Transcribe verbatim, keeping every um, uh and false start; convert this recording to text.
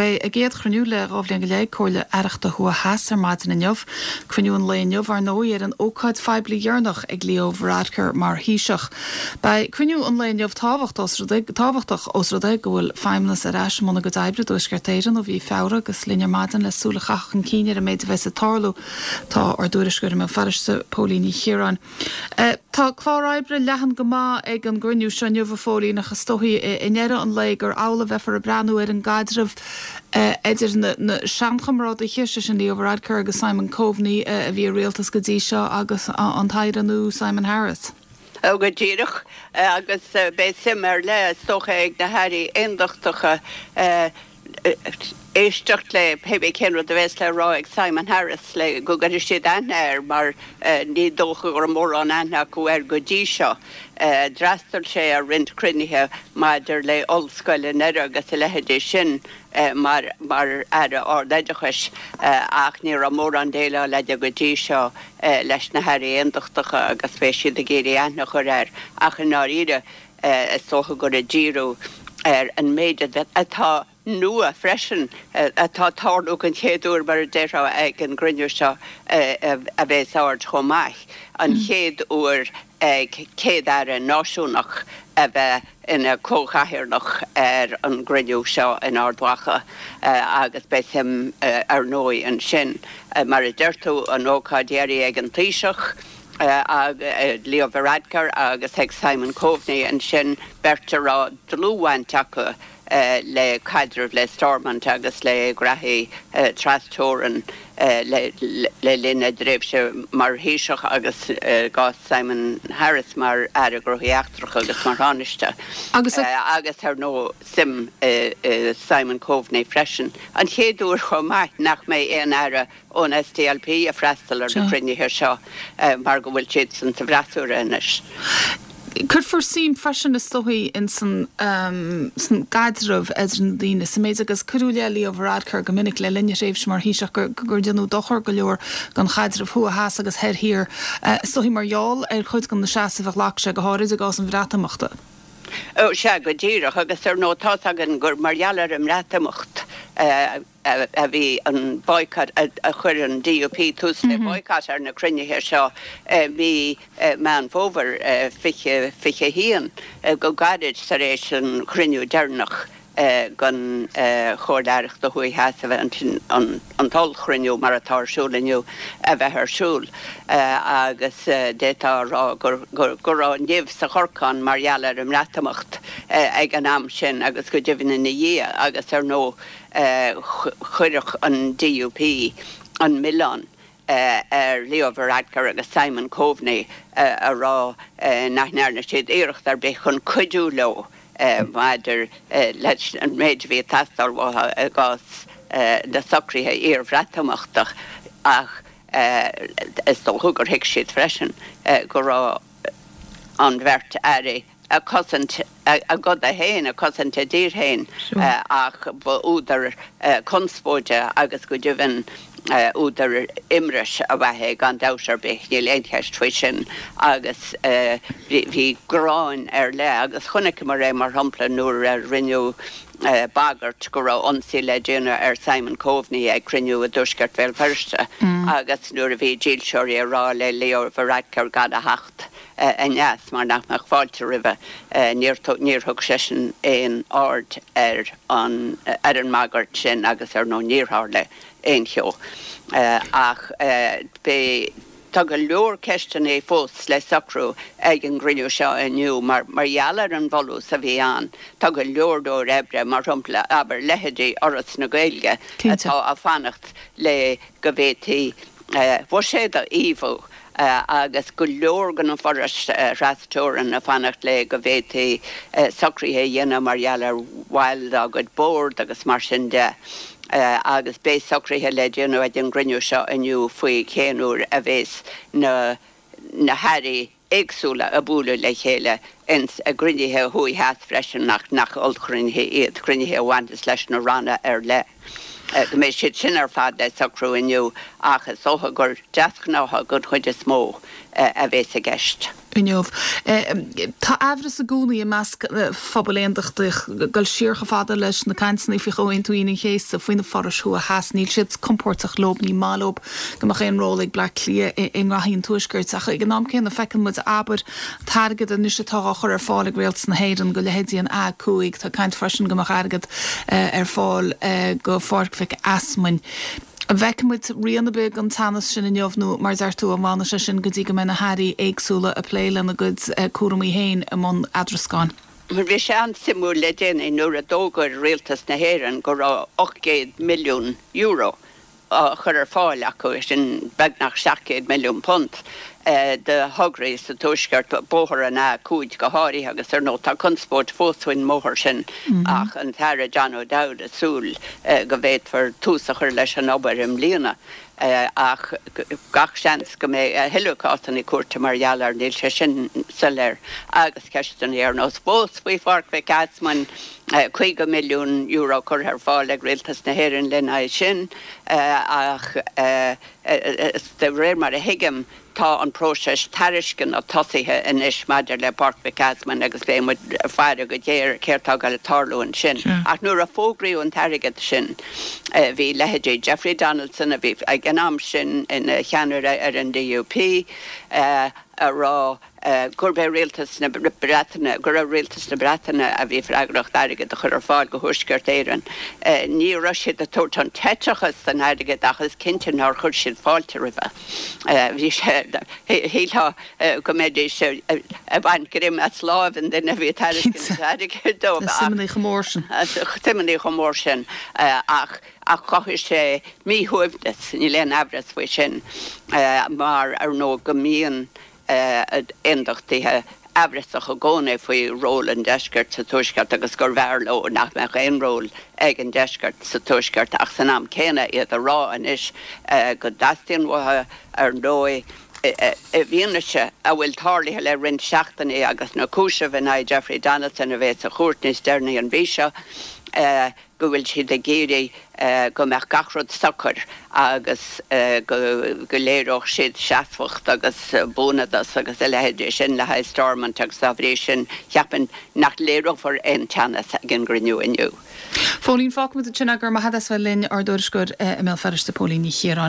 Beidh a gcéad chruinniú le dhá bhliain go leith ag Comhairle Aireachta Thuaidh Theas ar maidin inniu. Cruinniú an lae inniu ar ndóigh ar an ócáid phoiblí dheireanach ag Leo Varadkar mar Thaoiseach. Beidh cruinniú an lae inniu tábhachtach os rud é go bhfuil feidhmeannas ar ais i mbun a gcuid oibre i dTuaisceart Éireann ó mhí Feabhra agus linn ar maidin le súil a chaitheamh chun cinn ar an méid a bheas ag tarlú. Tá ár dtuairisceoir i mBéal Feirste Póilín Ní Chiaráin. Tá clár oibre leathan go maith ag an gcruinniú seo inniu a Phóilín ach is dóichí i ndeireadh an lae gur amhlaidh a bheifear ag breathnú ar an gcaidreamh idir na na seanchomrádaithe, sé sin Leo Varadkar agus Simon Coveney a bhí i rialtas go dtí seo agus an tAire nua Simon Harris. Ó go díreach agus beidh suim ar leith is dócha ag na hairí aondachtacha éisteacht le pé cén rud a bheas le rá ag Simon Harris le go gcuirfidh siad aithne air mar ní dócha go raibh mórán aithne acu air go dtí seo. D'fhreastail sé ar roinnt cruinnithe maidir le ollscoil i nDoire agus a leithéidí sin mar mar aire ardoideachais ach ní raibh mórán déileáil aige go dtí seo leis na hairí aondachtacha agus beidh siad ag iarraidh aithne a chur air ach i ndáiríre is dócha gur ag díriú ar an méid atá nua freisin atá ag tarlú den chéad uair mar a déarfá ag an gcruinniú seo a bheas aird chomh maith. An chéad uair ag Céad-Aire náisiúnach a bheith ina comhchathaoirleach ar an gcruinniú seo in Ard Mhacha agus beidh suim ar ndóigh ansin. Mar a deir tú an ócáid dheiridh ag an Taoiseach, Leo Varadkar agus ag Simon Coveney ansin beirt a raibh dlúthbhaint acu le caidreamh le Stormont agus le graithí trasteorann le linn a dtréimhse mar Thaoiseach agus i gcás Simon Harris mar Aire Gnóthaí Eachtracha agus mar Thánaiste. Agus agus ar ndóigh suim i Simon Coveney freisin. An chéad uair chomh maith nach mbeidh aon aire ón SDLP ag freastal ar na cruinnithe seo mar go bhfuil siadsan sa bhfreasúra anois. Cuirfear suim freisin is dóichí in san san gcaidreamh idir na daoine sa méid agus cuireadh i leith Leo Varadkar go minic le linn a thréimhse mar Thaoiseach gur gur déanadh dochar go leor don chaidreamh thuaidh theas agus thoir thiar is dóichí mar gheall ar chuid de na seasaimh a ghlac sé go háirid i gcás an Bhreatimeachta. Ó sea, go díreach, agus ar ndóigh tá's againn gur mar gheall ar an mBreatimeacht a bhí an boycott, a chuir an DUP tús le boycott ar na cruinnithe seo mí Meán Fómhair fiche fiche a haon, go gairid tar éis an chruinniú deireanach den Chomhairle Aireachta Thuaidh Theas a bheith an an t-ollchruinniú mar atá ar siúl inniu a bheith ar siúl agus d'fhéadfá a rá gur go raibh nimh sa chorcán mar gheall ar an mBreatimeacht ag an am sin agus go deimhin ina dhiaidh agus ar ndóigh chuirfeadh an DUP an milleán ar Leo Varadkar agus Simon Coveney a rá nach ndearna siad iarracht ar bith chun cuidiú leo maidir leis an méid a bhí ag teastáil uathu i gcás na socruithe iar-Bhreatimeachta ach is dócha gur thuig siad freisin go raibh an bheirt airí ag cosaint a gcoda féin, ag cosaint a dtír féin ach ba údar conspóide agus go deimhin údar imris ab ea é gan dabht ar bith, níl aon cheist faoi sin agus bhí gráin ar leith agus chonaiceamar é mar shampla nuair a rinneadh bagairt go raibh ionsaí le déanamh ar Simon Coveney ag cruinniú i dtuaisceart Bhéal Feirste agus nuair a bhí dílseoirí ag rá le Leo Varadkar gan a theacht aneas mar nach mbeadh fáilte roimhe, níor níor thug seisean aon aird ar an ar an mbagairt sin agus ar ndóigh níor tharla aon cheo. Ach beidh tá go leor ceisteanna fós le socrú ag an gcruinniú seo inniu mar mar gheall ar an bhfolús a bhí ann. Tá go leor leor oibre, mar shampla, abair, leithéidí Fhoras na Gaeilge Cinnte. atá ag fanacht le go bhféadfaí buiséad a fhaomhadh agus go leor de na forais thrasteorann ag fanacht le go bhféadfaí socruithe a dhéanamh mar gheall ar bhaill dá gcuid bord agus mar sin de agus beidh socruithe le déanamh ag an gcruinniú seo inniu faoi cén uair a bheas na na hairí éagsúla ag bualadh le chéile ins a gcruinnithe thuaidh theas freisin ach nach ollchruinnithe iad, cruinnithe a bhaineas leis na ranna ar leith. Go mbeidh siad sin ar fad le socrú inniu ach is dócha gur deasghnátha den chuid is mó a bheas i gceist. inniu. Tá aimhreas i gcónaí i measc phobal aondachtach ag dul siar chomh fada leis na cainteanna faoi Chomhaontú Aoine an Chéasta faoi na forais thuaidh theas. Níl siad compordach leo, ní maith leo go mbeadh aon ról ag Bleá Cliath i ngraithí an Tuaiscirt. Ach ag an am céanna feiceann muid abair an t-airgead anois atá á chur ar fáil ag Rialtas na hÉireann go leithéidí an A cúig. Tá caint freisin go mbeadh airgead ar fáil go Pháirc Mhic Easmainn. An bhfeicfidh muid rian ar bith den teannas sin inniu nó, mar a deir tú, an bhfanfaidh sé sin go dtí go mbeidh na hairí éagsúla ag plé lena gcuid cúramaí féin i mbun eadrascáin? Mar bhí sé an-suimiúil le déanaí nuair a d'fhógair Rialtas na hÉireann go raibh ocht gcéad milliún euro á chur ar fáil acu, sin beagnach seacht gcéad milliún punt, do thograí sa Tuaisceart, bóthar an A cúig go háirithe agus ar ndóigh tá conspóid fós faoin mbóthar sin ach an tAire John O'Dowd ag súil go bhféadfar tús a chur leis an obair i mbliana ach gach seans go mbeidh a thuilleadh cásanna cúirte mar gheall air, níl sé sin soiléir. Agus ceisteanna ar nós fós faoi Pháirc Mhic Easmainn, caoga milliún euro curtha ar fáil ag Rialtas na hÉireann lena aghaidh sin ach de réir mar a thuigim, Tá an próiseas tairisceana tosaithe anois maidir le Páirc Mhic Easmainn agus beidh muid ag faire go géar ar céard atá ag dul a tarlú ansin. Ach nuair a fógraíodh an t-airgead sin, bhí leithéidí Jeffrey Donaldson, a bhí ag an am sin ina cheannaire ar an D U P, a rá gurb é rialtas na Breataine, gur ar rialtas na Breataine a bhí freagracht airgead a chur ar fáil go Thuaisceart Éireann. Ní raibh siad ag tabhairt an t-eiteachas don airgead ach is cinnte nár chuir siad fáilte roimhe. Bhí sé, shílfeá go mbeidís ag baint greim as láimh an duine a bhí ag tairiscint an airgid dóibh. Na suimeanna chomh mór sin. Suimeanna chomh mór sin ach ach chothaigh sé míshuaimhneas, níl aon amhras faoi sin, mar ar ndóigh go mbíonn aondachtaithe amhrasach i gcónaí faoi ról an Deiscirt sa Tuaisceart agus gurbh fhearr leo nach mbeadh aon ról ag an Deisceart sa Tuaisceart ach san am céanna iad a rá anois go dteastaíonn uathu, ar ndóigh, i bhfianaise a bhfuil tarlaithe le roinnt seachtainí agus na cúisimh in aghaidh Jeffrey Donaldson a bheas sa chúirt níos deireanaí an mhí seo. go bhfuil siad ag iarraidh go mbeadh gach rud socair agus go léireodh siad seasmhacht agus buanadas agus a leithéidí sin le haghaidh Stormont agus dá bhrí sin cheapfainn nach léireofar aon teannas ag an gcruinniú inniu. Phóilín, fágfaimid ansin é, go raibh maith agat as bheith linn, ár dtuairisceoir i mBéal Feirste, Póilín Ní Chiaráin.